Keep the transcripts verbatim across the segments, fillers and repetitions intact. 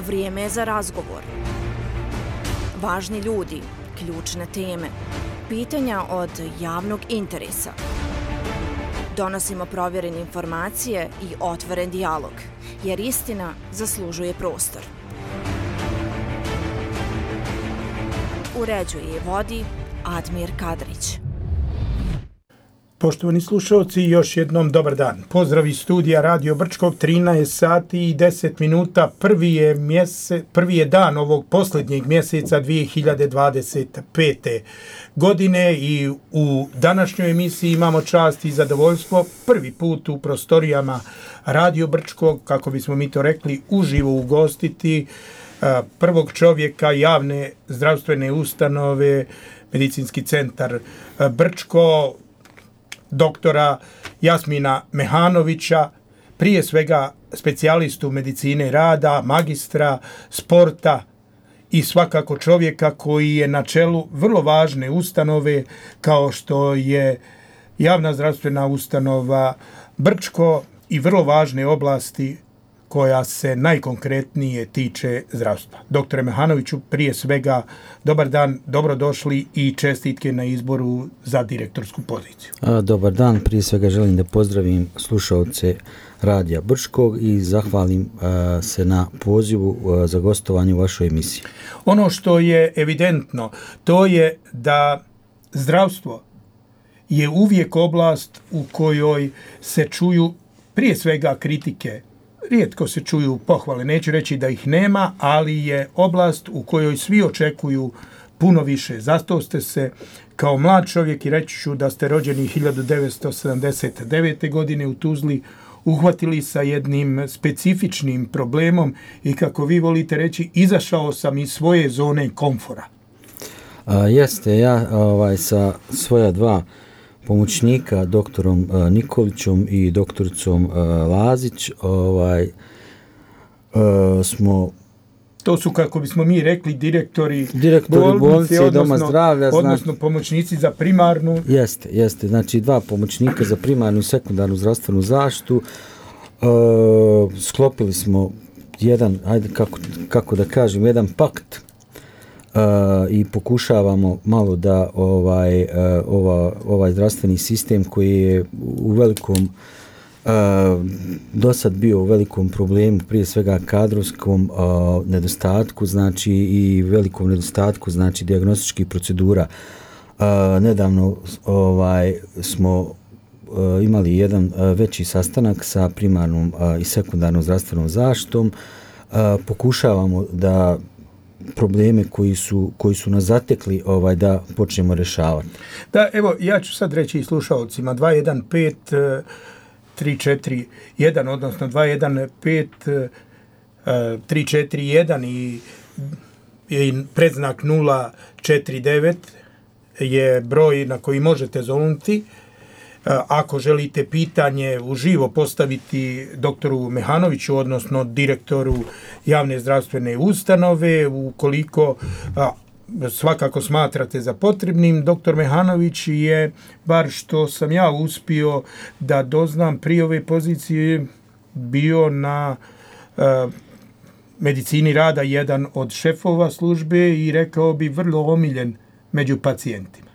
Vrijeme je za razgovor. Važni ljudi, ključne teme, pitanja od javnog interesa. Donosimo provjerene informacije i otvoren dijalog, jer istina zaslužuje prostor. Uređuje i vodi Admir Kadrić. Poštovani slušalci, još jednom dobar dan. Pozdrav iz studija Radio Brčkog, trinaest sati i deset minuta. Prvi je, mjese, prvi je dan ovog posljednjeg mjeseca dvije hiljade dvadeset pete. godine i u današnjoj emisiji imamo čast i zadovoljstvo prvi put u prostorijama Radio Brčkog, kako bismo mi to rekli, uživo ugostiti prvog čovjeka javne zdravstvene ustanove, Medicinski centar Brčko, doktora Jasmina Mehanovića, prije svega specijalistu medicine rada, magistra sporta i svakako čovjeka koji je na čelu vrlo važne ustanove kao što je javna zdravstvena ustanova Brčko i vrlo važne oblasti koja se najkonkretnije tiče zdravstva. Doktore Mehanoviću, prije svega dobar dan, dobrodošli i čestitke na izboru za direktorsku poziciju. A, dobar dan, prije svega želim da pozdravim slušalce Radija Brčkog i zahvalim a, se na pozivu a, za gostovanje u vašoj emisiji. Ono što je evidentno, to je da zdravstvo je uvijek oblast u kojoj se čuju prije svega kritike. Rijetko se čuju pohvale, neću reći da ih nema, ali je oblast u kojoj svi očekuju puno više. Zato ste se kao mlad čovjek, i reći ću da ste rođeni hiljadu devetsto sedamdeset devete. godine u Tuzli, uhvatili sa jednim specifičnim problemom i, kako vi volite reći, izašao sam iz svoje zone komfora. A, jeste, ja ovaj, sa svoja dva pomoćnika, doktorom uh, Nikolićom i doktoricom uh, Lazić, ovaj, uh, smo... To su, kako bismo mi rekli, direktori, direktori bolnice, bolnice odnosno, doma zdravlja. Odnosno znači, pomoćnici za primarnu. Jeste, jeste. Znači dva pomoćnika za primarnu i sekundarnu zdravstvenu zaštitu. Uh, sklopili smo jedan, ajde kako, kako da kažem, jedan pakt Uh, i pokušavamo malo da ovaj, uh, ova, ovaj zdravstveni sistem koji je u velikom uh, do sad bio u velikom problemu, prije svega kadrovskom uh, nedostatku, znači i velikom nedostatku, znači dijagnostičkih procedura. Uh, nedavno ovaj, smo uh, imali jedan uh, veći sastanak sa primarnom uh, i sekundarnom zdravstvenom zaštitom. Uh, pokušavamo da probleme koji su, koji su nas zatekli ovaj, da počnemo rješavati. Da, evo, ja ću sad reći i slušalcima dva jedan pet tri četiri jedan, odnosno dva jedan pet tri četiri jedan i, i predznak nula četiri devet je broj na koji možete zovnuti. Ako želite pitanje uživo postaviti doktoru Mehanoviću, odnosno direktoru javne zdravstvene ustanove, ukoliko a, svakako smatrate za potrebnim, doktor Mehanović je, bar što sam ja uspio da doznam prije ove pozicije, bio na a, medicini rada jedan od šefova službe i rekao bi vrlo omiljen među pacijentima.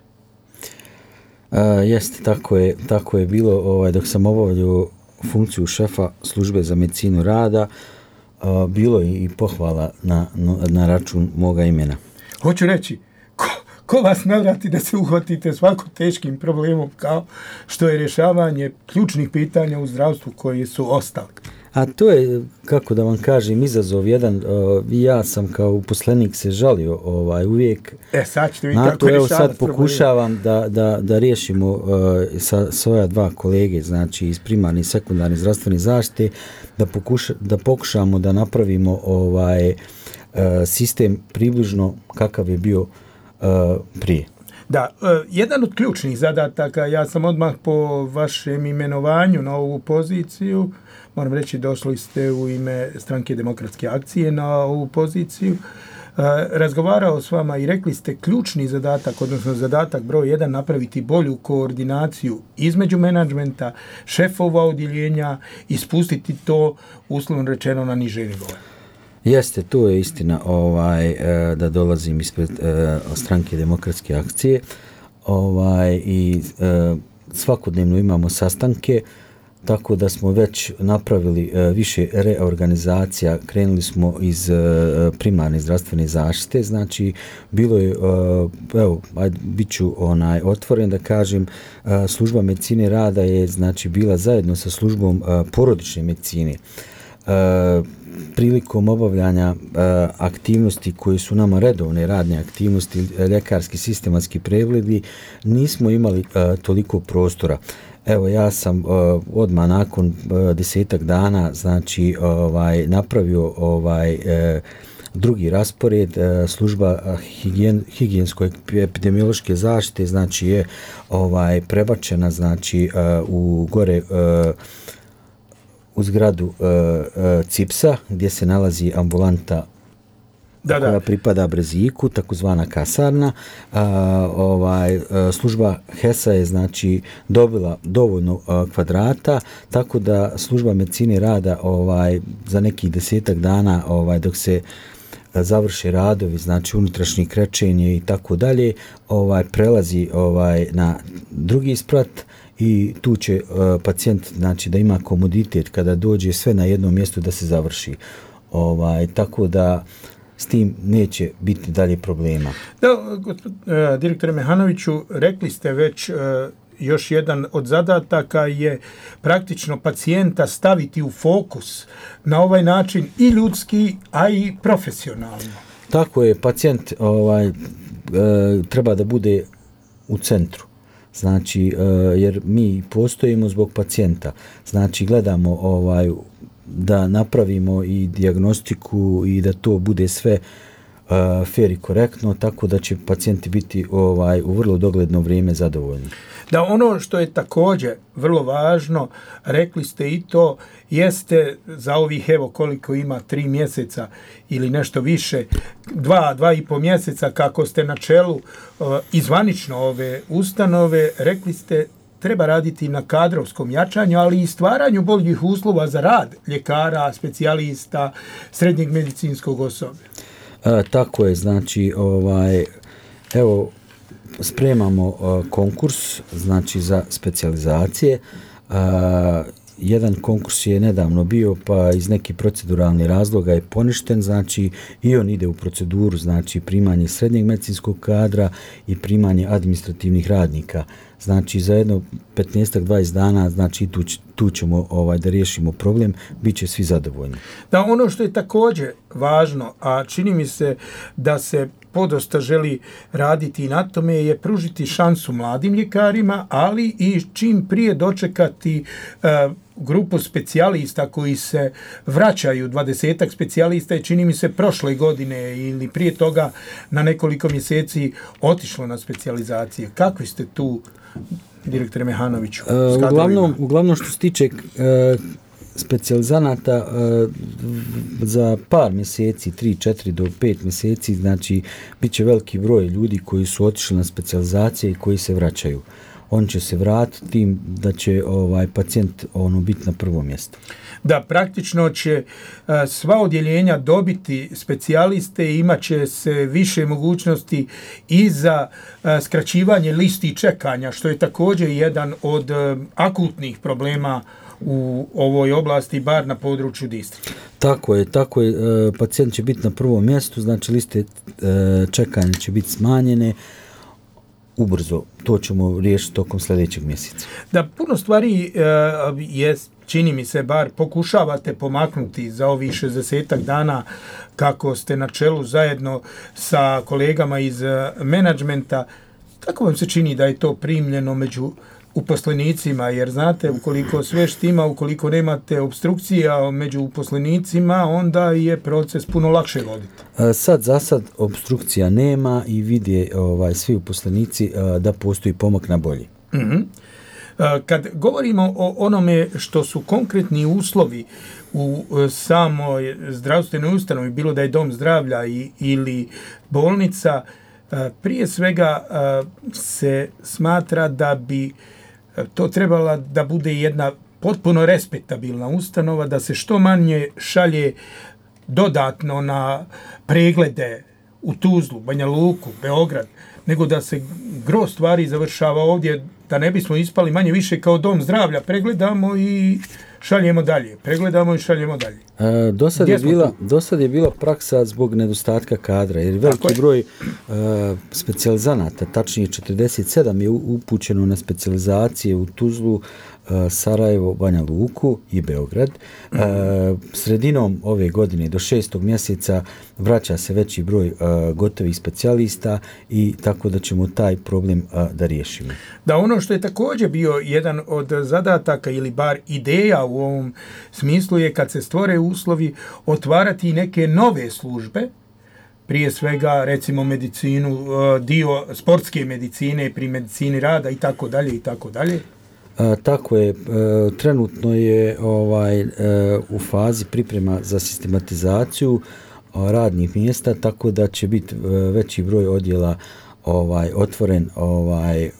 Uh, jeste, tako je, tako je bilo ovaj, dok sam obavljao funkciju šefa službe za medicinu rada, uh, bilo je i pohvala na, na, na račun moga imena. Hoću reći, ko, ko vas navrati da se uhvatite svako teškim problemom kao što je rješavanje ključnih pitanja u zdravstvu koji su ostali? A to je, kako da vam kažem, izazov jedan. Uh, ja sam kao uposlenik se žalio ovaj, uvijek. E, sad ćete vi na kako to, evo rješavati. Sad pokušavam da, da, da riješimo uh, sa svoja dva kolege, znači iz primarne i sekundarne zdravstvene zaštite, da, pokuša, da pokušamo da napravimo ovaj uh, sistem približno kakav je bio uh, prije. Da, uh, jedan od ključnih zadataka, ja sam odmah po vašem imenovanju na ovu poziciju, moram reći, došli ste u ime Stranke demokratske akcije na ovu poziciju, razgovarao s vama i rekli ste ključni zadatak, odnosno zadatak broj jedan, napraviti bolju koordinaciju između menadžmenta, šefova odjeljenja i spustiti to, uslovno rečeno, na niže nivoe. Jeste, to je istina, ovaj, da dolazim ispred stranke Demokratske akcije, ovaj, i svakodnevno imamo sastanke, tako da smo već napravili više reorganizacija, krenuli smo iz primarne zdravstvene zaštite, znači bilo je, evo, ajde, bit ću onaj, otvoren da kažem, služba medicine rada je znači bila zajedno sa službom porodične medicine. Prilikom obavljanja aktivnosti koje su nama redovne radne aktivnosti, ljekarski sistematski pregledi, nismo imali toliko prostora. Evo, ja sam uh, odmah nakon uh, desetak dana znači ovaj napravio ovaj uh, drugi raspored, uh, služba higijen, higijensko-epidemiološke zaštite znači je ovaj prebačena znači uh, u gore uh, u zgradu uh, uh, CIPS-a gdje se nalazi ambulanta da, koja da. pripada Breziku, takozvana kasarna. A, ovaj, a, služba H E S A je znači dobila dovoljno a, kvadrata, tako da služba medicine rada ovaj, za nekih desetak dana ovaj, dok se a, završe radovi, znači unutrašnje krečenje i tako dalje, ovaj, prelazi ovaj, na drugi sprat i tu će a, pacijent znači, da ima komoditet kada dođe sve na jednom mjestu da se završi. Ovaj, tako da s tim neće biti dalje problema. Da, gospod, uh, direktore Mehanoviću, rekli ste već uh, još jedan od zadataka je praktično pacijenta staviti u fokus na ovaj način i ljudski, a i profesionalno. Tako je, pacijent ovaj, uh, treba da bude u centru. Znači, uh, jer mi postojimo zbog pacijenta. Znači, gledamo ovaj da napravimo i dijagnostiku i da to bude sve uh, fair i korektno, tako da će pacijenti biti ovaj u vrlo dogledno vrijeme zadovoljni. Da, ono što je također vrlo važno, rekli ste i to, jeste za ovih, evo koliko ima, tri mjeseca ili nešto više, dva, dva i po mjeseca kako ste na čelu uh, izvanično ove ustanove, rekli ste treba raditi na kadrovskom jačanju, ali i stvaranju boljih uslova za rad ljekara, specijalista, srednjeg medicinskog osoblja. E, tako je, znači, ovaj, evo, spremamo uh, konkurs, znači, za specijalizacije. Uh, jedan konkurs je nedavno bio, pa iz nekih proceduralnih razloga je poništen, znači, i on ide u proceduru, znači, primanje srednjeg medicinskog kadra i primanje administrativnih radnika. Znači, za jedno petnaest do dvadeset dana, znači, tu, tu ćemo ovaj, da riješimo problem, bit će svi zadovoljni. Da, ono što je također važno, a čini mi se da se podosta želi raditi na tome, je pružiti šansu mladim ljekarima, ali i čim prije dočekati uh, grupu specijalista koji se vraćaju, dvadesetak specijalista je, čini mi se, prošle godine ili prije toga na nekoliko mjeseci otišlo na specijalizacije. Kakvi ste tu, direktore Mehanoviću? Uh, uglavnom, uglavnom što se tiče uh, specijalizanata uh, za par mjeseci, tri, četiri do pet mjeseci, znači bit će veliki broj ljudi koji su otišli na specijalizacije i koji se vraćaju. On će se vratiti tim da će ovaj pacijent ono biti na prvom mjestu. Da, praktično će uh, sva odjeljenja dobiti specijaliste i imat će se više mogućnosti i za uh, skraćivanje listi čekanja, što je također jedan od uh, akutnih problema u ovoj oblasti, bar na području distrikta. Tako je, tako je. E, pacijent će biti na prvom mjestu, znači liste e, čekanja će biti smanjene ubrzo. To ćemo riješiti tokom sljedećeg mjeseca. Da, puno stvari e, je, čini mi se, bar pokušavate pomaknuti za ovih šezdesetak dana kako ste na čelu zajedno sa kolegama iz menadžmenta. Kako vam se čini da je to primljeno među uposlenicima, jer znate, ukoliko sve štima, ukoliko nemate obstrukcija među uposlenicima, onda je proces puno lakše voditi. Sad, za sad, obstrukcija nema i vide ovaj, svi uposlenici da postoji pomak na bolji. Mm-hmm. Kad govorimo o onome što su konkretni uslovi u samoj zdravstvenoj ustanovi, bilo da je dom zdravlja i, ili bolnica, prije svega se smatra da bi to trebala da bude jedna potpuno respektabilna ustanova, da se što manje šalje dodatno na preglede u Tuzlu, Banja Luku, Beograd, nego da se gro stvari završava ovdje, da ne bismo ispali manje više kao dom zdravlja. Pregledamo i šaljemo dalje. Pregledamo i šaljemo dalje. E, do sad je bila, do sad je bila praksa zbog nedostatka kadra, jer veliki je. broj e, specijalizanata, tačnije četrdeset sedam je upućeno na specijalizacije u Tuzlu, Sarajevo, Banja Luku i Beograd. E, sredinom ove godine do šestog mjeseca vraća se veći broj e, gotovih specijalista i tako da ćemo taj problem e, da riješimo. Da, ono što je također bio jedan od zadataka ili bar ideja u ovom smislu je kad se stvore uslovi otvarati neke nove službe, prije svega recimo medicinu, dio sportske medicine pri medicini rada i tako dalje i tako dalje. A, tako je, e, trenutno je ovaj e, u fazi priprema za sistematizaciju a, radnih mjesta, tako da će biti e, veći broj odjela ovaj otvoren, ovaj e,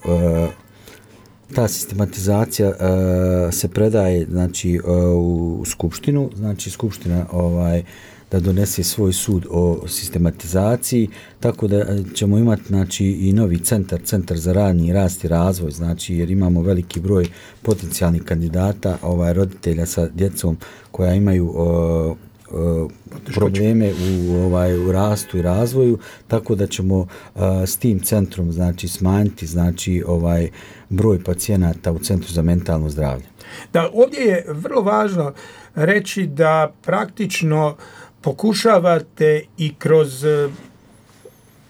ta sistematizacija e, se predaje znači e, u skupštinu, znači skupština ovaj da donese svoj sud o sistematizaciji, tako da ćemo imati znači i novi centar, centar za radni rast i razvoj, znači jer imamo veliki broj potencijalnih kandidata, ovaj roditelja sa djecom koja imaju uh, uh, probleme u ovaj u rastu i razvoju, tako da ćemo uh, s tim centrom znači smanjiti znači ovaj broj pacijenata u centru za mentalno zdravlje. Da, ovdje je vrlo važno reći da praktično pokušavate i kroz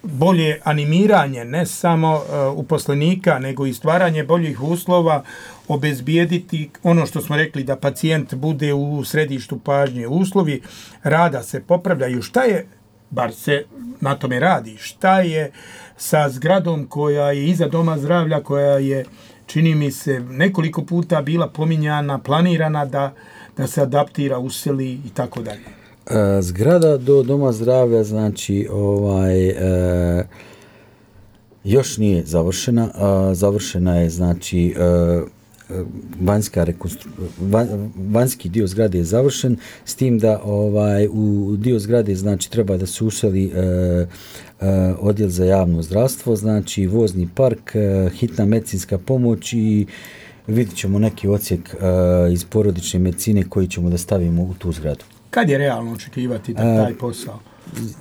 bolje animiranje, ne samo uh, uposlenika, nego i stvaranje boljih uslova, obezbijediti ono što smo rekli da pacijent bude u središtu pažnje. Uslovi rada se popravljaju. Šta je, bar se na tome radi, šta je sa zgradom koja je iza doma zdravlja, koja je, čini mi se, nekoliko puta bila pominjana, planirana da, da se adaptira, useli i tako dalje. E, zgrada do doma zdravlja znači ovaj e, još nije završena, a, završena je znači e, vanjska rekonstru... van, vanjski dio zgrade je završen, s tim da ovaj u dio zgrade znači treba da se useli e, e, odjel za javno zdravstvo, znači vozni park, e, hitna medicinska pomoć i vidjet ćemo neki odsjek e, iz porodične medicine koji ćemo da stavimo u tu zgradu. Kad je realno očekivati da taj posao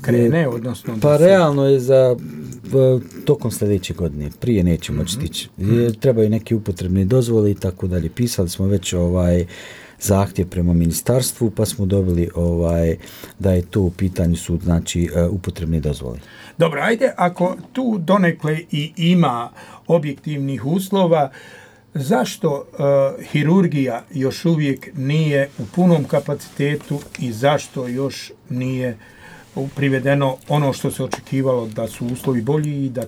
krene, odnosno... Pa se... realno je za tokom sljedeće godine. Prije nećemo mm-hmm. stići. Mm-hmm. Trebaju neke upotrebne dozvole i tako dalje. Pisali smo već ovaj zahtjev prema ministarstvu, pa smo dobili ovaj da je to u pitanju su znači upotrebne dozvole. Dobro, ajde, ako tu donekle i ima objektivnih uslova, zašto uh, hirurgija još uvijek nije u punom kapacitetu i zašto još nije privedeno ono što se očekivalo da su uslovi bolji i da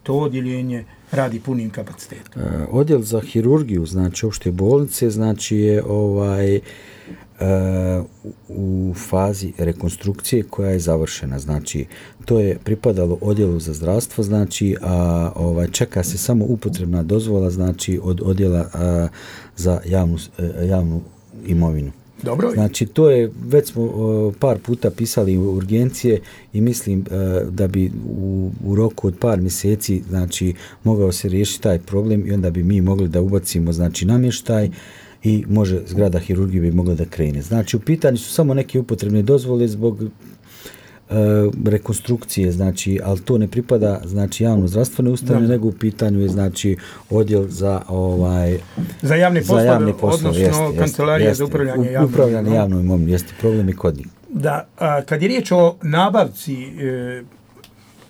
to odjeljenje radi punim kapacitetom? Uh, odjel za hirurgiju, znači opšte bolnice, znači je ovaj Uh, u fazi rekonstrukcije koja je završena, znači to je pripadalo odjelu za zdravstvo, znači a ovaj čeka se samo upotrebna dozvola, znači od odjela a, za javnu javnu imovinu. Dobro. Znači to je već smo uh, par puta pisali urgencije i mislim uh, da bi u, u roku od par mjeseci znači mogao se riješiti taj problem i onda bi mi mogli da ubacimo znači namještaj i može zgrada hirurgije bi mogla da krene. Znači u pitanju su samo neke upotrebne dozvole zbog e, rekonstrukcije, znači, ali to ne pripada znači javno zdravstvene ustanove, nego u pitanju je znači odjel za ovaj za javne poslove, za javne poslove odnosno jeste, kancelarija jeste, za upravljanje javnom upravljanje javnom imovinom, jeste problem i kod njih. Da, a, kad je riječ o nabavci e,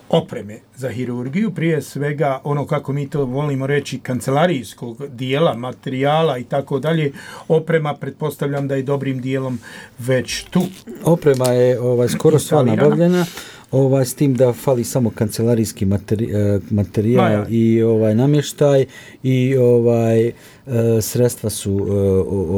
opreme za hirurgiju, prije svega ono kako mi to volimo reći kancelarijskog dijela, materijala i tako dalje, oprema pretpostavljam da je dobrim dijelom već tu. Oprema je ovaj skoro sva nabavljena, ovaj s tim da fali samo kancelarijski materi, materijal Maja. i ovaj namještaj i ovaj sredstva su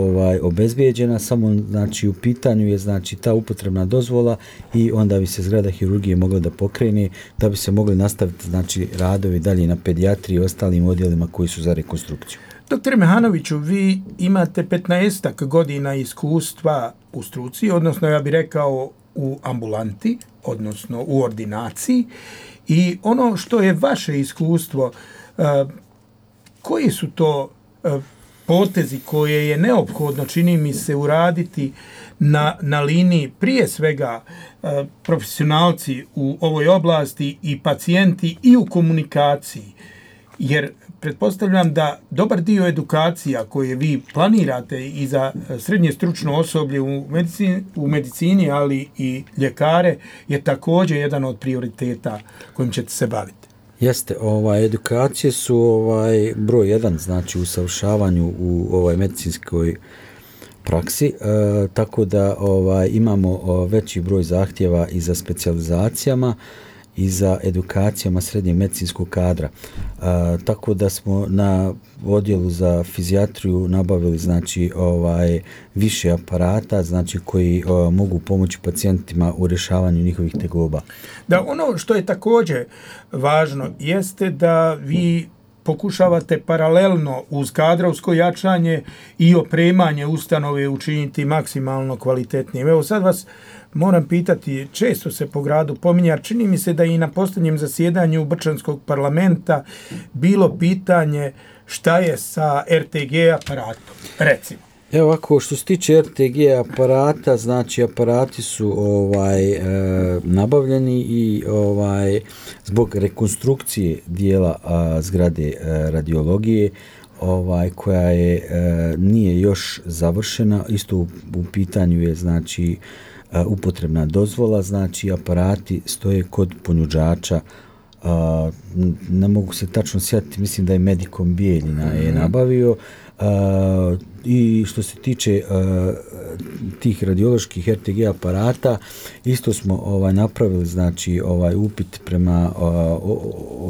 ovaj obezbijeđena, samo znači u pitanju je znači ta upotrebna dozvola i onda bi se zgrada hirurgije mogla da pokrene, da bi se mogli nastaviti znači radovi dalje na pedijatriji i ostalim odjelima koji su za rekonstrukciju. Doktore Mehanoviću, vi imate petnaestak godina iskustva u struci, odnosno ja bih rekao u ambulanti, odnosno u ordinaciji, i ono što je vaše iskustvo, koji su to potezi koje je neophodno, čini mi se, uraditi na, na liniji prije svega profesionalci u ovoj oblasti i pacijenti i u komunikaciji, jer pretpostavljam da dobar dio edukacija koje vi planirate i za srednje stručno osoblje u medicini, u medicini, ali i ljekare, je također jedan od prioriteta kojim ćete se baviti. Jeste, ovaj, edukacije su ovaj, broj jedan, znači u usavršavanju u ovaj, medicinskoj praksi, e, tako da ovaj, imamo o, veći broj zahtjeva i za specijalizacijama i za edukacijama srednjeg medicinskog kadra. E, tako da smo na odjelu za fizijatriju nabavili znači ovaj više aparata, znači koji o, mogu pomoći pacijentima u rješavanju njihovih tegoba. Da, ono što je također važno jeste da vi pokušavate paralelno uz kadrovsko jačanje i opremanje ustanove učiniti maksimalno kvalitetnijim. Evo sad vas moram pitati, često se po gradu pominja, čini mi se da i na posljednjem zasjedanju Brčanskog parlamenta bilo pitanje šta je sa er te ge aparatom, recimo. Evo ovako, što se tiče er te ge aparata, znači aparati su ovaj e, nabavljeni i ovaj zbog rekonstrukcije dijela a, zgrade e, radiologije, ovaj koja je e, nije još završena, isto u, u pitanju je znači e, upotrebna dozvola, znači aparati stoje kod ponuđača. Uh, ne mogu se tačno sjetiti, mislim da je Medikom Bijeljina je nabavio. Uh, i što se tiče uh, tih radioloških er te ge aparata, isto smo ovaj napravili znači ovaj upit prema uh,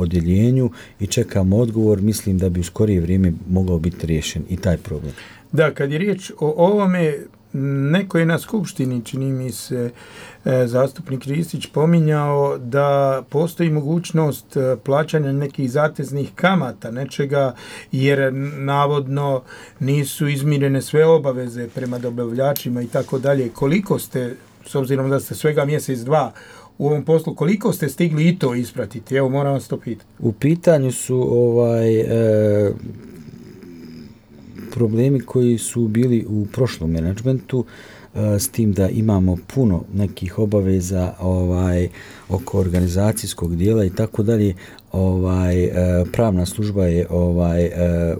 odjeljenju i čekamo odgovor. Mislim da bi u skorije vrijeme mogao biti riješen i taj problem. Da, kad je riječ o ovome, neko je na skupštini, čini mi se, zastupnik Ristić pominjao da postoji mogućnost plaćanja nekih zateznih kamata, nečega, jer navodno nisu izmirene sve obaveze prema dobavljačima i tako dalje. Koliko ste, s obzirom da ste svega mjesec, dva u ovom poslu, koliko ste stigli i to ispratiti? Evo, moram vas to pitati. U pitanju su ovaj... E, problemi koji su bili u prošlom menadžmentu, s tim da imamo puno nekih obaveza ovaj oko organizacijskog dijela i tako dalje. Ovaj pravna služba je ovaj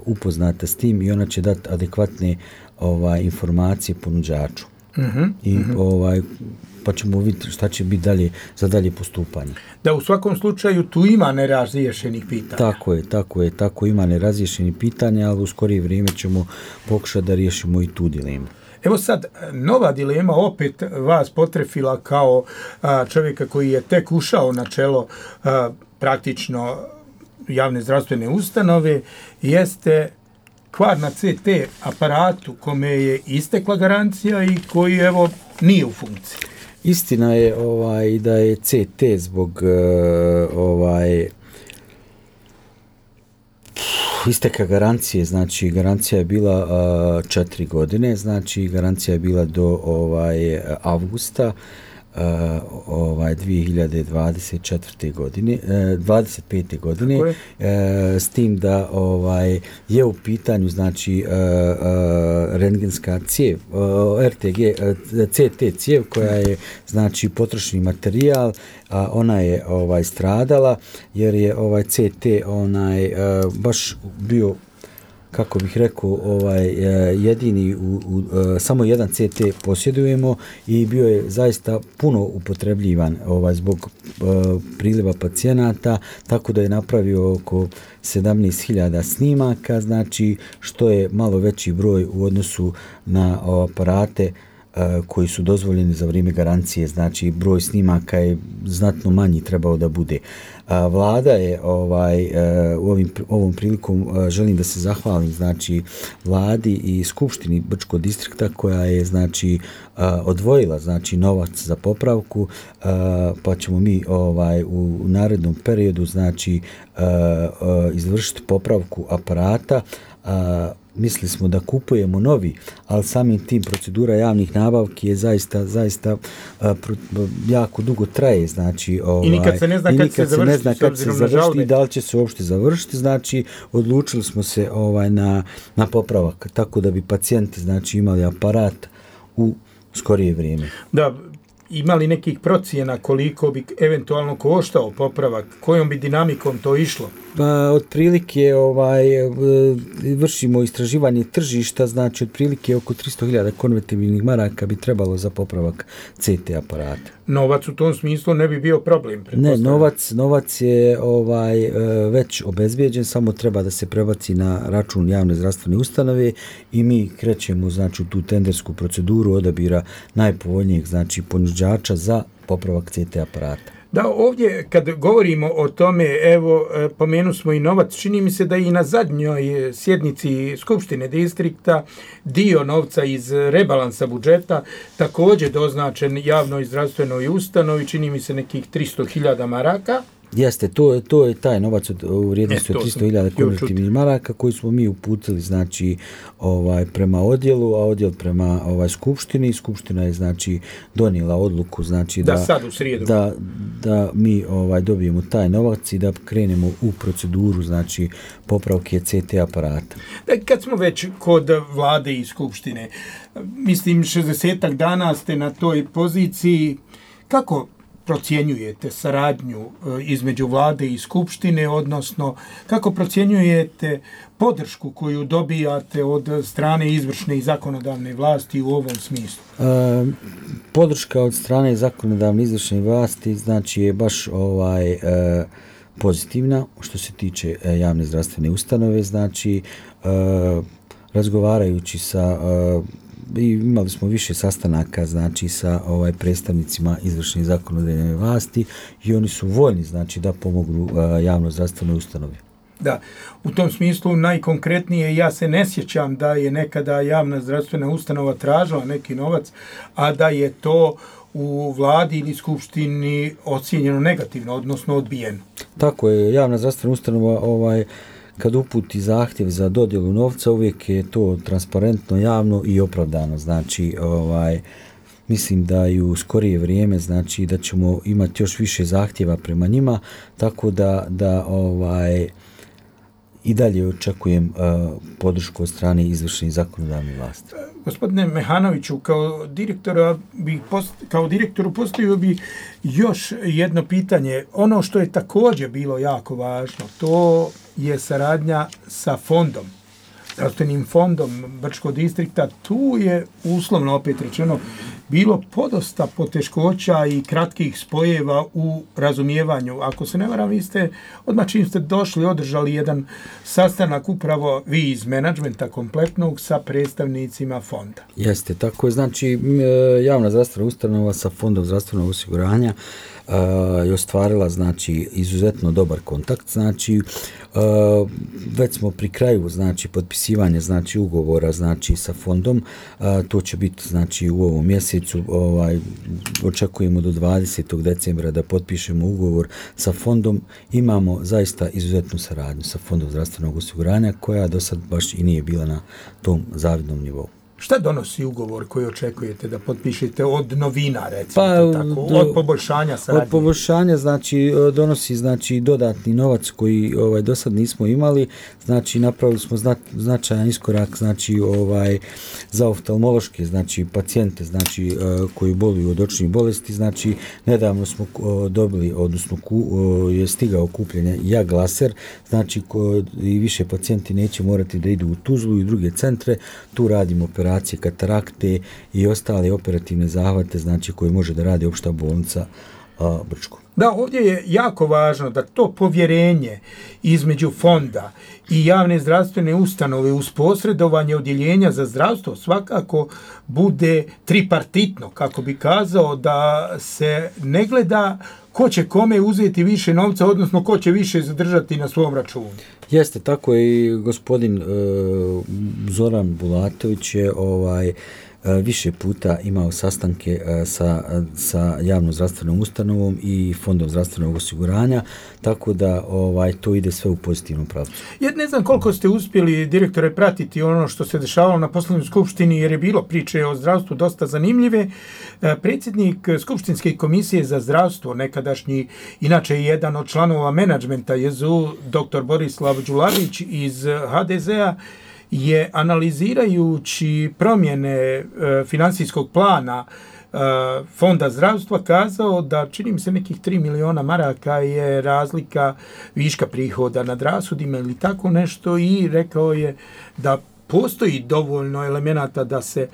upoznata s tim i ona će dati adekvatne ovaj informacije ponuđaču. Uh-huh, I uh-huh. ovaj pa ćemo vidjeti šta će biti dalje za dalje postupanje. Da, u svakom slučaju tu ima nerazriješenih pitanja. Tako je, tako je, tako ima nerazriješenih pitanja, ali u skorije vrijeme ćemo pokušati da riješimo i tu dilemu. Evo sad, nova dilema opet vas potrefila kao a, čovjeka koji je tek ušao na čelo a, praktično javne zdravstvene ustanove, jeste kvar na ce te aparatu kome je istekla garancija i koji evo nije u funkciji. Istina je ovaj da je ce te zbog uh, ovaj isteka garancije, znači garancija je bila uh, četiri godine, znači garancija je bila do ovaj avgusta uh, ovaj dvije hiljade dvadeset četvrte godine, uh, dvadeset pete godine, uh, s tim da ovaj je u pitanju znači uh, uh, rentgenska cijev, uh, er te ge, uh, ce te cijev koja je znači potrošni materijal, a ona je ovaj stradala jer je ovaj ce te onaj uh, baš bio, kako bih rekao, ovaj jedini u, u, samo jedan ce te posjedujemo i bio je zaista puno upotrebljivan ovaj zbog uh, priliva pacijenata, tako da je napravio oko sedamnaest hiljada snimaka, znači što je malo veći broj u odnosu na aparate koji su dozvoljeni za vrijeme garancije, znači broj snimaka je znatno manji trebao da bude. Vlada je ovaj u ovim ovom prilikom želim da se zahvalim znači vladi i skupštini Brčkog distrikta koja je znači odvojila znači novac za popravku, pa ćemo mi ovaj u narednom periodu znači izvršiti popravku aparata mislili smo da kupujemo novi, ali samim tim procedura javnih nabavki je zaista, zaista a, pro, jako dugo traje, znači ovaj, i nikad se ne zna kad se završiti, ne zna kad se završiti i da li će se uopšte završiti, znači odlučili smo se ovaj na, na popravak, tako da bi pacijenti znači imali aparat u skorije vrijeme. Da, imali nekih procjena koliko bi eventualno koštao popravak, kojom bi dinamikom to išlo? Pa, otprilike ovaj, vršimo istraživanje tržišta, znači otprilike oko tristo hiljada konvertibilnih maraka bi trebalo za popravak C T aparata. Novac u tom smislu ne bi bio problem. Ne, novac, novac je ovaj već obezbijeđen, samo treba da se prebaci na račun javne zdravstvene ustanove i mi krećemo znači u tu tendersku proceduru odabira najpovoljnijeg znači ponuđača za popravak C T aparata. Da, ovdje kad govorimo o tome, evo, pomenu smo i novac, čini mi se da i na zadnjoj sjednici Skupštine distrikta dio novca iz rebalansa budžeta također doznačen javnoj zdravstvenoj ustanovi, čini mi se nekih tristo hiljada maraka. Jeste, to, to je taj novac od, u vrijednosti od tristo hiljada konvertibilnih maraka koji smo mi uputili znači ovaj prema odjelu, a odjel prema ovaj skupštini. Skupština je znači donijela odluku znači da da sad u srijedu da, da mi ovaj dobijemo taj novac i da krenemo u proceduru znači popravke C T aparata. Da, kad smo već kod vlade i skupštine, mislim šezdesetak dana ste na toj poziciji, kako procjenjujete saradnju između vlade i skupštine, odnosno kako procjenjujete podršku koju dobijate od strane izvršne i zakonodavne vlasti u ovom smislu? E, podrška od strane zakonodavne izvršne vlasti znači je baš ovaj e, pozitivna što se tiče e, javne zdravstvene ustanove, znači e, razgovarajući sa e, i imali smo više sastanaka znači sa ovaj predstavnicima izvršne i zakonodavne vlasti i oni su voljni znači da pomognu uh, javno zdravstvenoj ustanovi. Da, u tom smislu najkonkretnije ja se ne sjećam da je nekada javna zdravstvena ustanova tražila neki novac, a da je to u vladi ili skupštini ocijenjeno negativno, odnosno odbijeno. Tako je, javna zdravstvena ustanova ovaj kad uputi zahtjev za dodjelu novca, uvijek je to transparentno, javno i opravdano. Znači, ovaj, mislim da i u skorije vrijeme, znači da ćemo imati još više zahtjeva prema njima, tako da, da ovaj, i dalje očekujem uh, podršku od strane izvršne i zakonodavne vlasti. Gospodine Mehanoviću, kao direktora bi post, kao direktoru postavio bi još jedno pitanje. Ono što je također bilo jako važno, to je saradnja sa fondom, zdravstvenim fondom Brčkog distrikta. Tu je uslovno opet rečeno bilo podosta poteškoća i kratkih spojeva u razumijevanju. Ako se ne varam, vi ste odmah čim ste došli održali jedan sastanak upravo vi iz menadžmenta kompletnog sa predstavnicima fonda. Jeste, tako je. Znači javna zdravstvena ustanova sa fondom zdravstvenog osiguranja Uh, je ostvarila znači izuzetno dobar kontakt, znači uh, već smo pri kraju znači potpisivanja znači ugovora znači sa fondom, uh, to će biti znači u ovom mjesecu, ovaj očekujemo do dvadesetog decembra da potpišemo ugovor sa fondom. Imamo zaista izuzetnu saradnju sa fondom zdravstvenog osiguranja koja do sad baš i nije bila na tom zavidnom nivou. Šta donosi ugovor koji očekujete da potpišete od novina, recimo pa, tako, od poboljšanja saradnje? Od poboljšanja, znači, donosi znači, dodatni novac koji ovaj, do sad nismo imali, znači, napravili smo zna, značajan iskorak, znači, ovaj, za oftalmološke, znači, pacijente, znači, koji boluju od očnih bolesti, znači, nedavno smo dobili, odnosno, ku, je stigao kupljenje jag laser, znači, ko, i više pacijenti neće morati da idu u Tuzlu i druge centre, tu radimo operacije katarakte i ostale operativne zahvate, znači koje može da radi opšta bolnica a, Brčko. Da, ovdje je jako važno da to povjerenje između fonda i javne zdravstvene ustanove uz posredovanje odjeljenja za zdravstvo svakako bude tripartitno, kako bi kazao, da se ne gleda ko će kome uzeti više novca, odnosno ko će više zadržati na svom računu. Jeste, tako je i gospodin e, Zoran Bulatović je ovaj više puta imao sastanke sa, sa javnom zdravstvenom ustanovom i fondom zdravstvenog osiguranja, tako da ovaj to ide sve u pozitivnom pravcu. Ja ne znam koliko ste uspjeli, direktore, pratiti ono što se dešavalo na posljednjoj skupštini, jer je bilo priče o zdravstvu dosta zanimljive. Predsjednik Skupštinske komisije za zdravstvo, nekadašnji, inače jedan od članova menadžmenta J Z U, doktor Borislav Đulavić iz H D Z-a, je analizirajući promjene e, financijskog plana e, Fonda zdravstva kazao da, čini mi se, nekih tri miliona maraka je razlika viška prihoda nad rashodima ili tako nešto, i rekao je da postoji dovoljno elemenata da se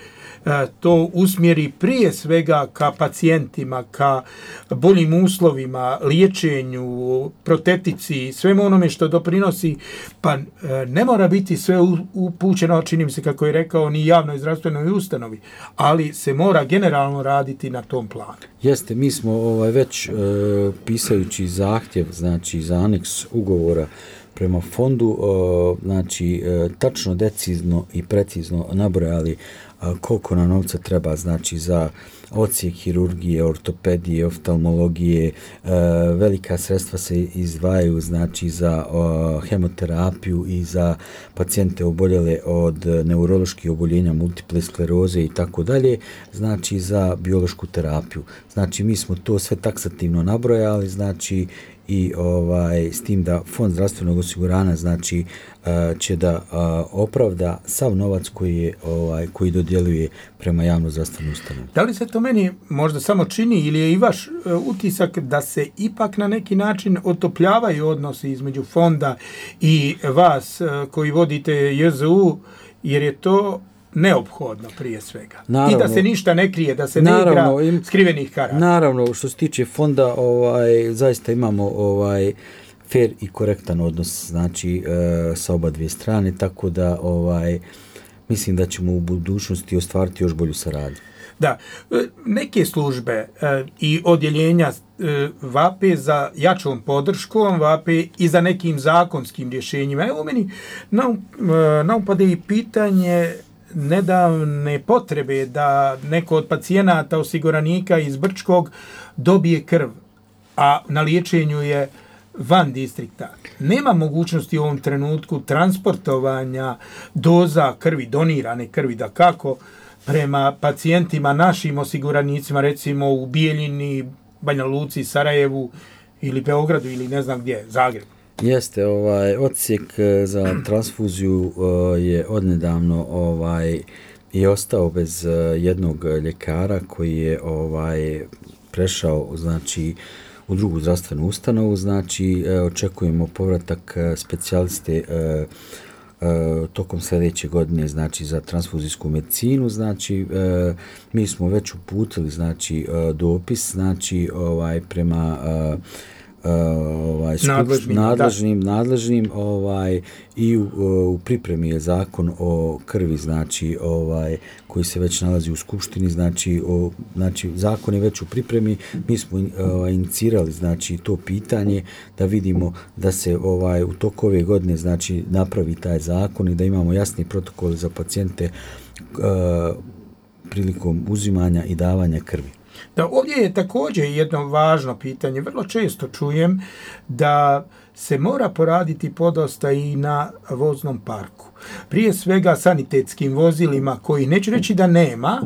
e, to usmjeri prije svega ka pacijentima, ka boljim uslovima, liječenju, protetici, svemu onome što doprinosi, pa e, ne mora biti sve upućeno, čini mi se, kako je rekao, ni javnoj zdravstvenoj ustanovi, ali se mora generalno raditi na tom planu. Jeste, mi smo ovaj, već e, pisajući zahtjev, znači za aneks ugovora prema fondu, znači tačno, decizno i precizno nabrojali koliko nam novca treba, znači za odsjek hirurgije, ortopedije, oftalmologije, velika sredstva se izdvajaju, znači za hemoterapiju i za pacijente oboljele od neuroloških oboljenja, multiple skleroze i tako dalje, znači za biološku terapiju. Znači mi smo to sve taksativno nabrojali, znači i ovaj s tim da Fond zdravstvenog osiguranja, znači će da opravda sav novac koji je ovaj koji dodjeljuje prema javno zdravstvenom ustanovi. Da li se to meni možda samo čini ili je i vaš utisak da se ipak na neki način otopljavaju odnosi između fonda i vas koji vodite J Z U, jer je to neophodno prije svega? Naravno, i da se ništa ne krije, da se naravno, ne igra skrivenih karata. Naravno, što se tiče fonda, ovaj, zaista imamo ovaj fair i korektan odnos, znači e, sa oba dvije strane, tako da ovaj mislim da ćemo u budućnosti ostvariti još bolju saradnju. Da, neke službe e, i odjeljenja e, vape za jačom podrškom, vape i za nekim zakonskim rješenjima. Evo meni naupade i pitanje nedavne potrebe da neko od pacijenata osiguranika iz Brčkog dobije krv, a na liječenju je van distrikta. Nema mogućnosti u ovom trenutku transportovanja doza krvi, donirane krvi, da kako, prema pacijentima, našim osiguranicima, recimo u Bijeljini, Banja Luci, Sarajevu ili Beogradu ili ne znam gdje, Zagrebu. Jeste, ovaj odsjek za transfuziju je odnedavno ovaj i ostao bez jednog ljekara koji je ovaj prešao, znači, u drugu zdravstvenu ustanovu, znači očekujemo povratak specijaliste tokom sljedeće godine, znači za transfuzijsku medicinu, znači mi smo već uputili, znači dopis, znači ovaj prema ovaj nadležnim, nadležnim, nadležnim ovaj i u, u pripremi je zakon o krvi, znači ovaj koji se već nalazi u skupštini, znači o znači zakon je već u pripremi. Mi smo ovaj inicirali, znači to pitanje da vidimo da se ovaj u toku ove godine, znači napravi taj zakon i da imamo jasni protokol za pacijente uh, prilikom uzimanja i davanja krvi. Da, ovdje je također jedno važno pitanje. Vrlo često čujem da se mora poraditi podosta i na voznom parku. Prije svega sanitetskim vozilima, koji neću reći da nema,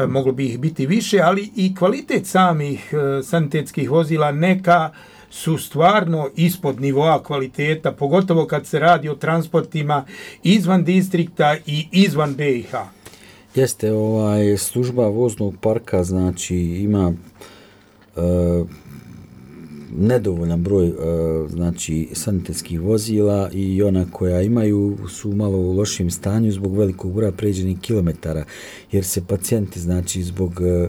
moglo bi ih biti više, ali i kvalitet samih sanitetskih vozila neka su stvarno ispod nivoa kvaliteta, pogotovo kad se radi o transportima izvan distrikta i izvan B i H. Jeste, ovaj služba voznog parka, znači ima e, nedovoljan broj e, znači sanitetskih vozila i ona koja imaju su malo u lošem stanju zbog velikog broja pređenih kilometara, jer se pacijenti, znači zbog e,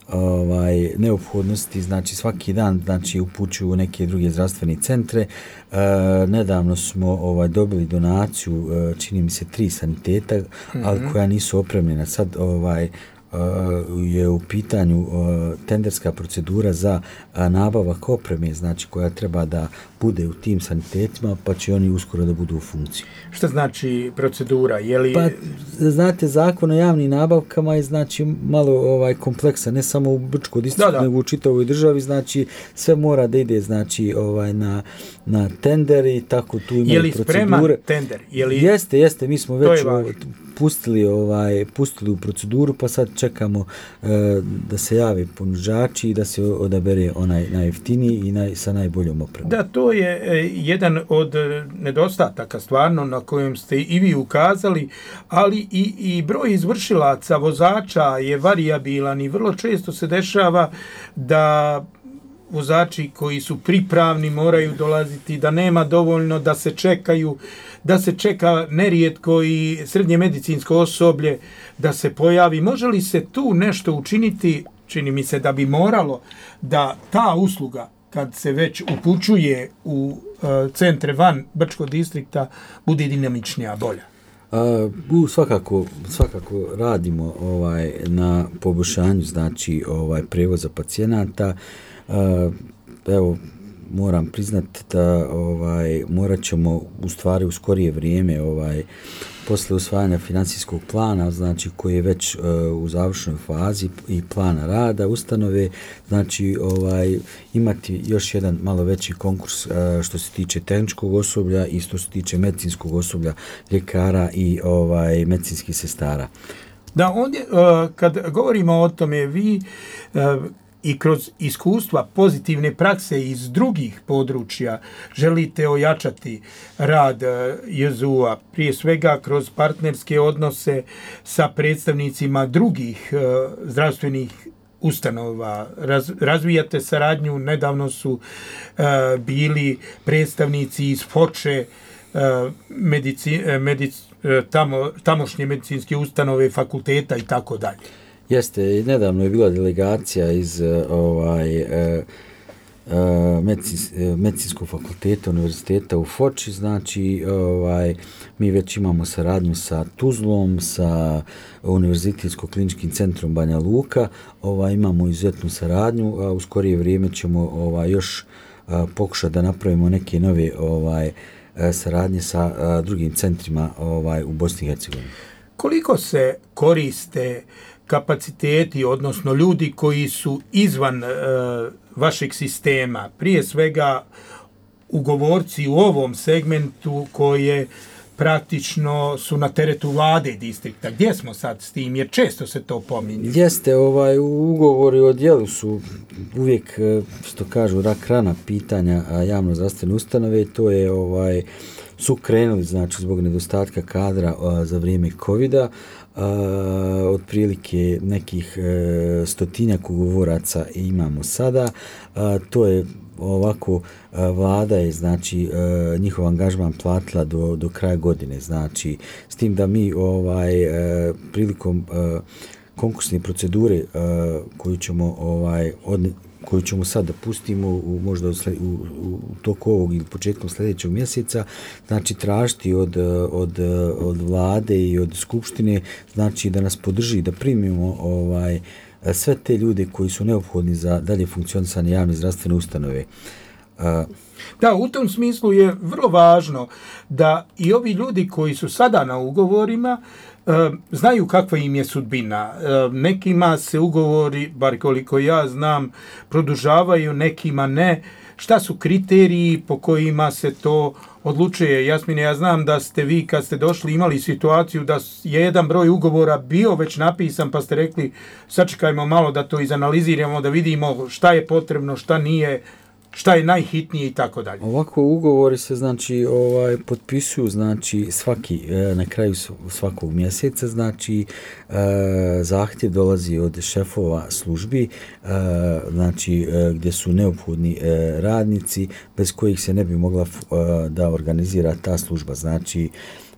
ovaj neophodnosti, znači svaki dan, znači upućuju u neke druge zdravstvene centre. E, nedavno smo ovaj dobili donaciju, e, čini mi se tri saniteta, mm-hmm. ali koja nisu opremljena. Sad ovaj je u pitanju tenderska procedura za nabavak opreme, znači koja treba da bude u tim sanitetima, pa će oni uskoro da budu u funkciji. Šta znači procedura? Je li... Pa, znate, zakon o javnim nabavkama je znači malo ovaj kompleksan, ne samo u Brčkoj distriktu, nego u čitavoj državi, znači sve mora da ide znači ovaj na na tender i tako tu imaju procedure. Je li spreman tender? Je li... Jeste, jeste, mi smo već pustili ovaj pustili u proceduru, pa sad čekamo e, da se javi ponuđači i da se odabere onaj najjeftiniji i naj, sa najboljom opremom. Da, to je e, jedan od nedostataka stvarno na kojem ste i vi ukazali, ali i, i broj izvršilaca, vozača je varijabilan i vrlo često se dešava da vozači koji su pripravni moraju dolaziti, da nema dovoljno, da se čekaju, da se čeka nerijetko i srednje medicinsko osoblje da se pojavi. Može li se tu nešto učiniti? Čini mi se da bi moralo da ta usluga, kad se već upućuje u uh, centre van Brčkog distrikta, bude dinamičnija, bolja. A, u, svakako, svakako radimo ovaj na poboljšanju znači ovaj prevoza pacijenata. A, evo, moram priznati da ovaj morat ćemo u stvari u skorije vrijeme ovaj posle usvajanja financijskog plana, znači koji je već uh, u završnoj fazi i plana rada ustanove, znači ovaj imati još jedan malo veći konkurs uh, što se tiče tehničkog osoblja i što se tiče medicinskog osoblja, ljekara i ovaj medicinskih sestara. Da, ondje uh, kad govorimo o tome, vi uh, i kroz iskustva pozitivne prakse iz drugih područja želite ojačati rad J Z U-a, prije svega kroz partnerske odnose sa predstavnicima drugih uh, zdravstvenih ustanova. Raz, razvijate saradnju, nedavno su uh, bili predstavnici iz Foče, uh, medici, medic, uh, tamo, tamošnje medicinske ustanove, fakulteta i tako dalje. Jeste, nedavno je bila delegacija iz ovaj e, e, medicins, medicinskog fakulteta univerziteta u Foči, znači ovaj mi već imamo saradnju sa Tuzlom, sa Univerzitetsko-kliničkim centrom Banja Luka, ovaj imamo izuzetnu saradnju, a u skorije vrijeme ćemo ovaj još a, pokušati da napravimo neke nove ovaj saradnje sa a, drugim centrima ovaj u Bosni i Hercegovini. Koliko se koriste kapaciteti, odnosno ljudi koji su izvan e, vašeg sistema, prije svega ugovorci u ovom segmentu koje praktično su na teretu vlade distrikta. Gdje smo sad s tim? Jer često se to pominje. Jeste, ovaj, ugovori o djelu su uvijek, što kažu, rak rana pitanja javno zdravstvene ustanove. To je, ovaj, su krenuli, znači, zbog nedostatka kadra a, za vrijeme kovida. Uh, otprilike nekih uh, stotinjak ugovoraca imamo sada. Uh, to je ovako, uh, vlada je znači uh, njihov angažman platila do, do kraja godine, znači s tim da mi ovaj uh, prilikom uh, konkursne procedure uh, koju ćemo ovaj od koju ćemo sad da pustimo u, možda u, sled, u, u toku ovog ili početkom sljedećeg mjeseca, znači tražiti od, od, od vlade i od skupštine, znači da nas podrži, da primimo ovaj, sve te ljude koji su neophodni za dalje funkcionisanje javne zdravstvene ustanove. Da, u tom smislu je vrlo važno da i ovi ljudi koji su sada na ugovorima znaju kakva im je sudbina. Nekima se ugovori, bar koliko ja znam, produžavaju, nekima ne. Šta su kriteriji po kojima se to odlučuje? Jasmine, ja znam da ste vi kad ste došli imali situaciju da je jedan broj ugovora bio već napisan, pa ste rekli sačekajmo malo da to izanaliziramo, da vidimo šta je potrebno, šta nije, šta je najhitnije i tako dalje. Ovako ugovori se znači ovaj potpisuju znači svaki na kraju svakog mjeseca, znači zahtjev dolazi od šefova službi, znači gdje su neophodni radnici bez kojih se ne bi mogla da organizira ta služba. Znači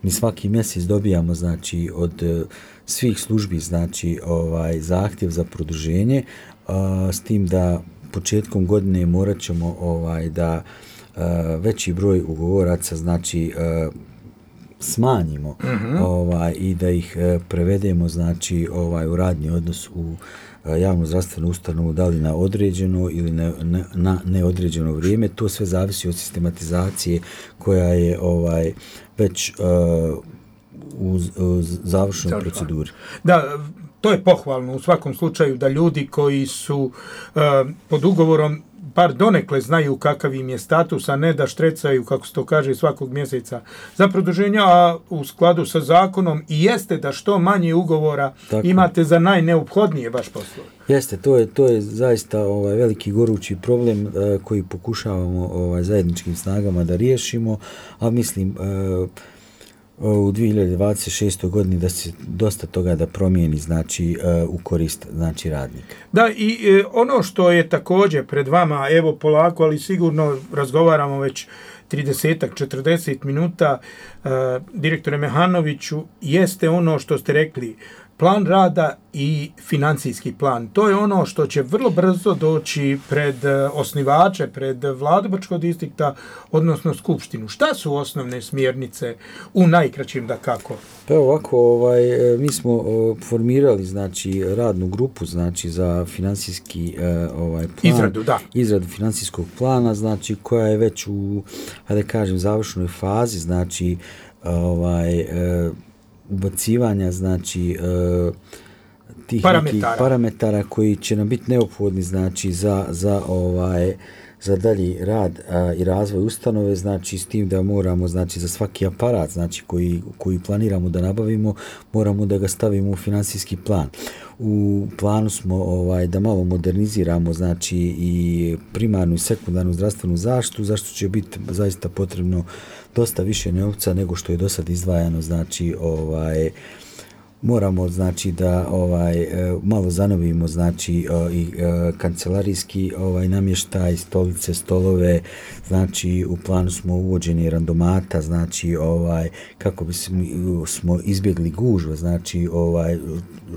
mi svaki mjesec dobijamo znači od svih službi znači ovaj zahtjev za produženje, s tim da početkom godine morat ćemo ovaj, da uh, veći broj ugovoraca znači uh, smanjimo uh-huh. ovaj, i da ih e, prevedemo znači ovaj u radni odnos u e, javnu zdravstvenu ustanovu, da li na određeno ili ne, ne, na neodređeno vrijeme. To sve zavisi od sistematizacije koja je ovaj već e, u, u završnoj Završno. proceduri. Da, to je pohvalno u svakom slučaju da ljudi koji su uh, pod ugovorom bar donekle znaju kakav im je status, a ne da štrecaju, kako se to kaže, svakog mjeseca za produženja, a u skladu sa zakonom i jeste da što manje ugovora Tako. imate za najneophodnije baš poslove. Jeste, to je, to je zaista ovaj, veliki gorući problem uh, koji pokušavamo ovaj, zajedničkim snagama da riješimo, a mislim uh, u dvije hiljade dvadeset šestoj godini da se dosta toga da promijeni znači uh, u korist znači radnika. Da, i e, ono što je također pred vama, evo polako, ali sigurno razgovaramo već trideset četrdeset minuta, uh, direktore Mehanoviću, jeste ono što ste rekli, plan rada i financijski plan. To je ono što će vrlo brzo doći pred osnivače, pred vladu Brčkog distrikta, odnosno skupštinu. Šta su osnovne smjernice u najkraćim da kako? Pa ovako, ovaj, mi smo formirali znači radnu grupu znači za financijski ovaj plan, izradu, da. izradu financijskog plana, znači koja je već u, hajde kažem, završnoj fazi, znači ovaj ubacivanja znači uh, tih parametara. nekih parametara koji će nam biti neophodni znači za za ovaj za dalji rad a, i razvoj ustanove, znači s tim da moramo znači za svaki aparat znači koji koji planiramo da nabavimo, moramo da ga stavimo u financijski plan. U planu smo ovaj da malo moderniziramo znači i primarnu i sekundarnu zdravstvenu zaštitu, zašto će biti zaista potrebno dosta više novca nego što je do sad izdvajano, znači ovaj moramo znači da ovaj malo zanovimo znači i kancelarijski ovaj namještaj, stolice, stolove, znači u planu smo uvođenje randomata, znači ovaj kako bi smo izbjegli gužve, znači ovaj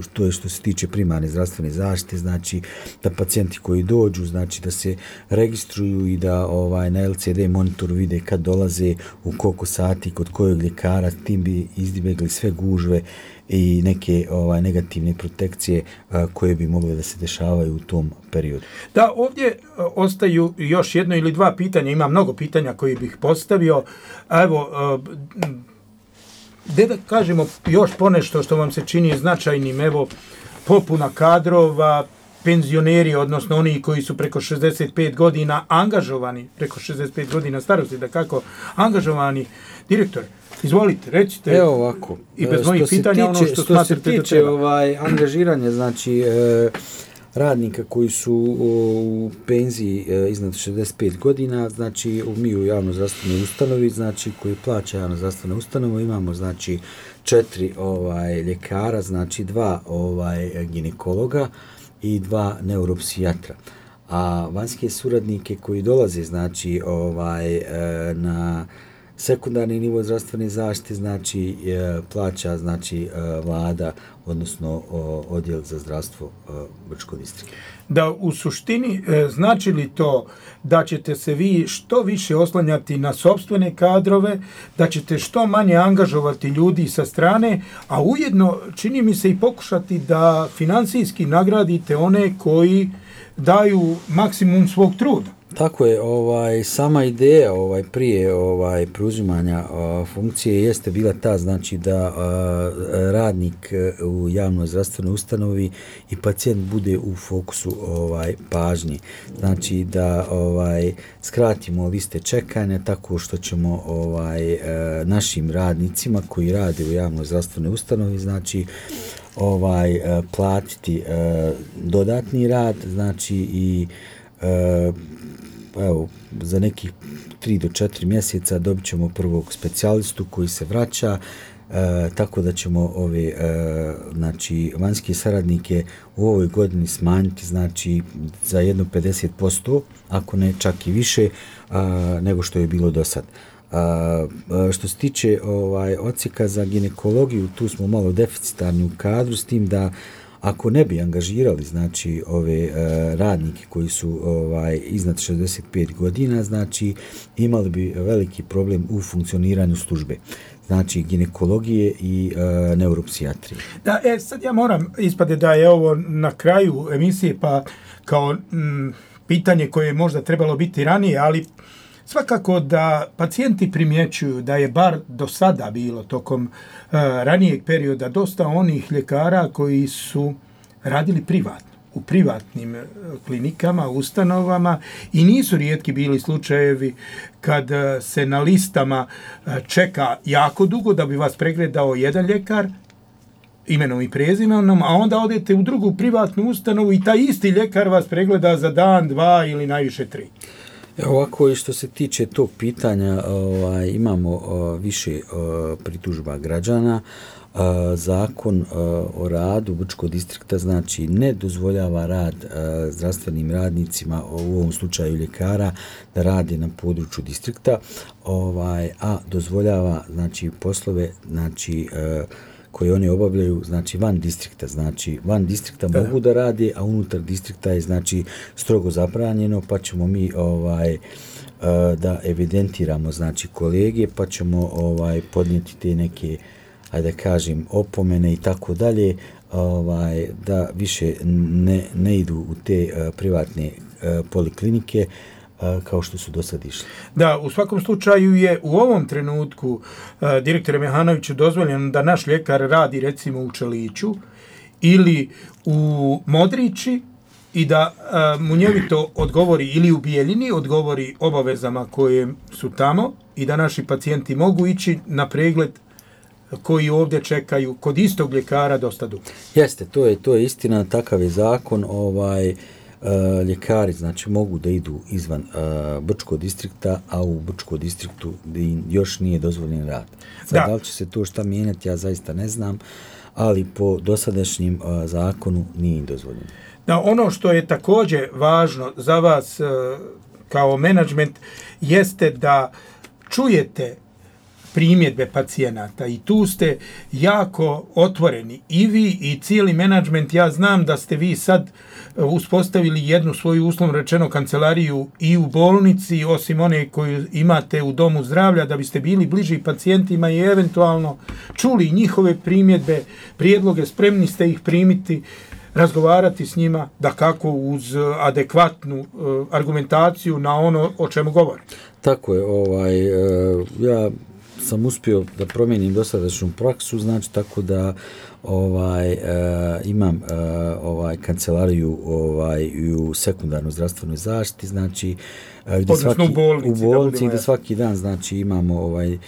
što je što se tiče primarne zdravstvene zaštite, znači da pacijenti koji dođu znači da se registruju i da ovaj na L C D monitoru vide kad dolaze, u koliko sati, kod kojeg ljekara, tim bi izbjegli sve gužve i neke ovaj negativne protekcije a, koje bi mogle da se dešavaju u tom periodu. Da, ovdje ostaju još jedno ili dva pitanja, ima mnogo pitanja koji bih postavio. Evo, gdje da kažemo još ponešto što vam se čini značajnim, evo, popuna kadrova, penzioneri, odnosno oni koji su preko šezdeset pet godina angažovani, preko šezdeset pet godina starosti, da kako, angažovani. Direktor, izvolite, recite. Evo ovako. I bez mojih pitanja tiče, ono što, što smatrate se tiče da treba. ovaj, angažiranje, znači e, radnika koji su u penziji e, iznad šezdeset pet godina, znači mi u javno zdravstvenoj ustanovi, znači koji plaća javno zdravstvena ustanova, imamo znači četiri ovaj ljekara, znači dva ovaj ginekologa i dva neuropsijatra. A vanjske suradnike koji dolaze znači ovaj e, na sekundarni nivo zdravstvene zaštite znači e, plaća znači e, vlada, odnosno o, odjel za zdravstvo e, Brčkog distrikta. Da u suštini e, znači li to da ćete se vi što više oslanjati na sopstvene kadrove, da ćete što manje angažovati ljudi sa strane, a ujedno čini mi se i pokušati da financijski nagradite one koji daju maksimum svog truda? Tako je, ovaj sama ideja ovaj prije ovaj preuzimanja uh, funkcije jeste bila ta, znači da uh, radnik u javnoj zdravstvenoj ustanovi i pacijent bude u fokusu ovaj pažnje. Znači da ovaj skratimo liste čekanja tako što ćemo ovaj uh, našim radnicima koji rade u javnoj zdravstvenoj ustanovi znači ovaj uh, platiti uh, dodatni rad, znači i uh, evo, za nekih tri do četiri mjeseca dobit ćemo prvog specijalistu koji se vraća, e, tako da ćemo ove e, znači, vanjske saradnike u ovoj godini smanjiti znači, za jedno pedeset posto, ako ne čak i više, a, nego što je bilo do sad. A, a, što se tiče ovaj, odsjeka za ginekologiju, tu smo malo deficitarni u kadru, s tim da ako ne bi angažirali znači ove uh, radnike koji su ovaj iznad šezdeset pet godina, znači imali bi veliki problem u funkcioniranju službe, znači ginekologije i uh, neuropsijatrije. Da, e, sad ja moram ispade da je ovo na kraju emisije, pa kao m, pitanje koje je možda trebalo biti ranije, ali svakako da pacijenti primjećuju da je bar do sada bilo tokom uh, ranijeg perioda dosta onih ljekara koji su radili privatno, u privatnim uh, klinikama, ustanovama i nisu rijetki bili slučajevi kad uh, se na listama uh, čeka jako dugo da bi vas pregledao jedan ljekar imenom i prezimenom, a onda odete u drugu privatnu ustanovu i taj isti ljekar vas pregleda za dan, dva ili najviše tri. Ovako i što se tiče tog pitanja, ovaj, imamo uh, više uh, pritužba građana. Uh, zakon uh, o radu Brčkog distrikta znači ne dozvoljava rad uh, zdravstvenim radnicima, u ovom slučaju ljekara, da radi na području distrikta, ovaj, a dozvoljava znači poslove znači uh, koje oni obavljaju, znači van distrikta, znači van distrikta da. mogu da radi, a unutar distrikta je znači strogo zabranjeno, pa ćemo mi ovaj da evidentiramo znači kolege, pa ćemo ovaj podnijeti te neke, ajde da kažem, opomene i tako dalje, ovaj da više ne, ne idu u te uh, privatne uh, poliklinike uh, kao što su do sad išli. Da, u svakom slučaju je u ovom trenutku uh, direktore Mehanoviću dozvoljeno da naš ljekar radi recimo u Čeliću ili u Modrići i da uh, munjevito odgovori ili u Bijeljini, odgovori obavezama koje su tamo i da naši pacijenti mogu ići na pregled koji ovdje čekaju kod istog ljekara dosta dugo. Jeste, to je to je istina, takav je zakon, ovaj uh, ljekari znači mogu da idu izvan uh, Brčkog distrikta, a u Brčkom distriktu još nije dozvoljen rad. Sad, da. da li će se to šta mijenjati, ja zaista ne znam, ali po dosadašnjim uh, zakonu nije im dozvoljeno. Da, ono što je također važno za vas uh, kao menadžment jeste da čujete primjedbe pacijenata i tu ste jako otvoreni i vi i cijeli menadžment. Ja znam da ste vi sad uspostavili jednu svoju uslovno rečeno kancelariju i u bolnici, osim one koju imate u domu zdravlja, da biste bili bliži pacijentima i eventualno čuli njihove primjedbe, prijedloge, spremni ste ih primiti, razgovarati s njima, da kako uz adekvatnu uh, argumentaciju na ono o čemu govori. Tako je, ovaj, uh, ja sam uspio da promijenim dosadašnju praksu, znači tako da ovaj uh, imam uh, ovaj kancelariju ovaj u sekundarnoj zdravstvenoj zaštiti, znači uh, gdje svaki u bolnici, u bolnici gdje svaki dan znači imamo ovaj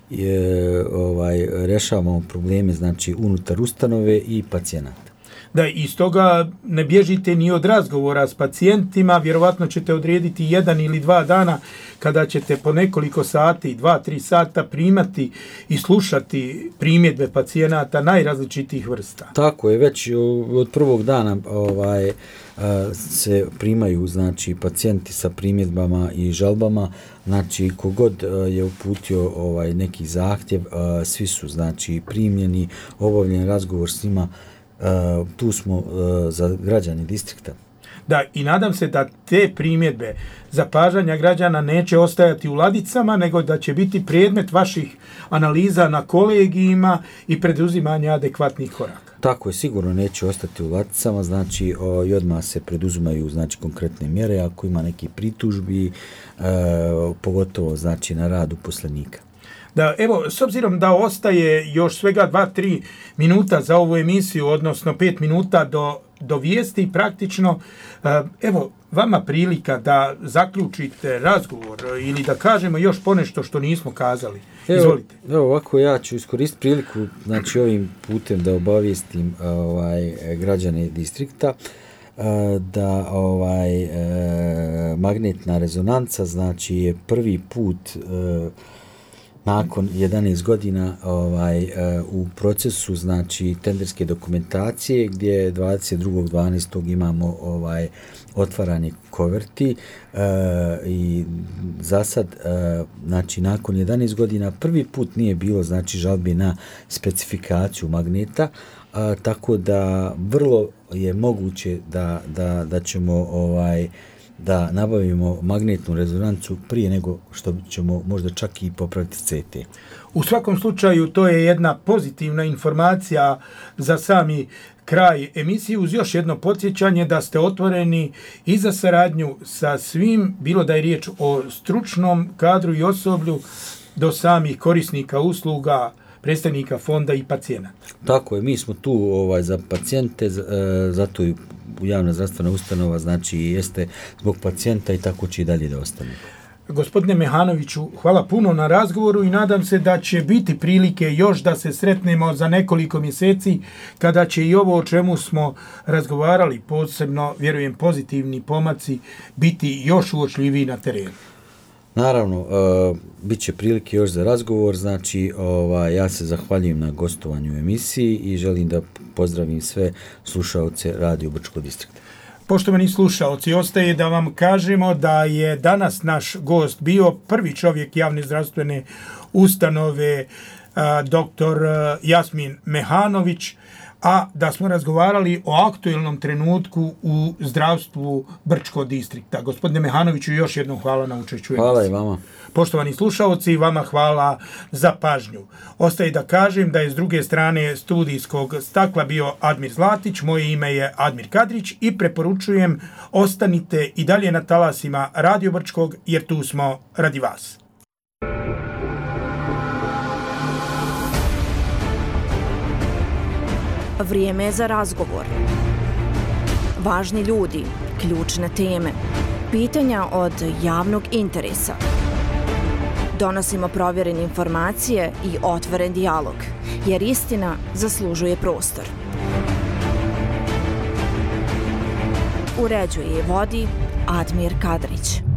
je, ovaj rješavamo probleme znači unutar ustanove i pacijenata. Da, iz toga ne bježite ni od razgovora s pacijentima, vjerovatno ćete odrediti jedan ili dva dana kada ćete po nekoliko sati, dva, tri sata primati i slušati primjedbe pacijenata najrazličitijih vrsta. Tako je, već od prvog dana ovaj se primaju znači pacijenti sa primjedbama i žalbama, znači kogod je uputio ovaj neki zahtjev, svi su znači primljeni, obavljen razgovor s njima. Uh, tu smo uh, za građani distrikta. Da, i nadam se da te primjedbe zapažanja građana neće ostajati u ladicama, nego da će biti predmet vaših analiza na kolegijima i preduzimanja adekvatnih koraka. Tako je, sigurno neće ostati u ladicama, znači o, i odmah se preduzimaju znači konkretne mjere ako ima neki pritužbi, uh, pogotovo znači na rad uposlenika. Da, evo, s obzirom da ostaje još svega dva do tri minuta za ovu emisiju, odnosno pet minuta do, do vijesti praktično, evo, vama prilika da zaključite razgovor ili da kažemo još ponešto što nismo kazali. Izvolite. Evo, evo ovako, ja ću iskoristiti priliku, znači ovim putem da obavijestim ovaj, građane distrikta da ovaj magnetna rezonanca znači je prvi put nakon jedanaest godina ovaj, u procesu znači tenderske dokumentacije gdje dvadeset drugog dvanaestog imamo ovaj otvaranje koverti e, i za sad e, znači nakon jedanaest godina prvi put nije bilo znači žalbi na specifikaciju magneta, a, tako da vrlo je moguće da, da, da ćemo ovaj da nabavimo magnetnu rezonancu prije nego što ćemo možda čak i popraviti C T. U svakom slučaju to je jedna pozitivna informacija za sami kraj emisije, uz još jedno podsjećanje da ste otvoreni i za saradnju sa svim, bilo da je riječ o stručnom kadru i osoblju do samih korisnika usluga, predstavnika fonda i pacijenata. Tako je, mi smo tu ovaj, za pacijente, zato i javna zdravstvena ustanova znači jeste zbog pacijenta i tako će i dalje da ostane. Gospodine Mehanoviću, hvala puno na razgovoru i nadam se da će biti prilike još da se sretnemo za nekoliko mjeseci kada će i ovo o čemu smo razgovarali, posebno, vjerujem, pozitivni pomaci, biti još uočljiviji na terenu. Naravno, uh, bit će prilike još za razgovor, znači ovaj, ja se zahvaljujem na gostovanju u emisiji i želim da pozdravim sve slušaoce Radio Brčko distrikta. Poštovani slušaoci, ostaje da vam kažemo da je danas naš gost bio prvi čovjek javne zdravstvene ustanove, a, doktor Jasmin Mehanović, a da smo razgovarali o aktuelnom trenutku u zdravstvu Brčko distrikta. Gospodine Mehanoviću, još jednom hvala na učešću. Hvala i vama. Poštovani slušaoci, vama hvala za pažnju. Ostaje da kažem da je s druge strane studijskog stakla bio Admir Zlatić, moje ime je Admir Kadrić i preporučujem ostanite i dalje na talasima Radio Brčkog jer tu smo radi vas. Vrijeme je za razgovor. Važni ljudi, ključne teme, pitanja od javnog interesa. Donosimo provjerene informacije i otvoren dijalog, jer istina zaslužuje prostor. Uređuje i vodi Admir Kadrić.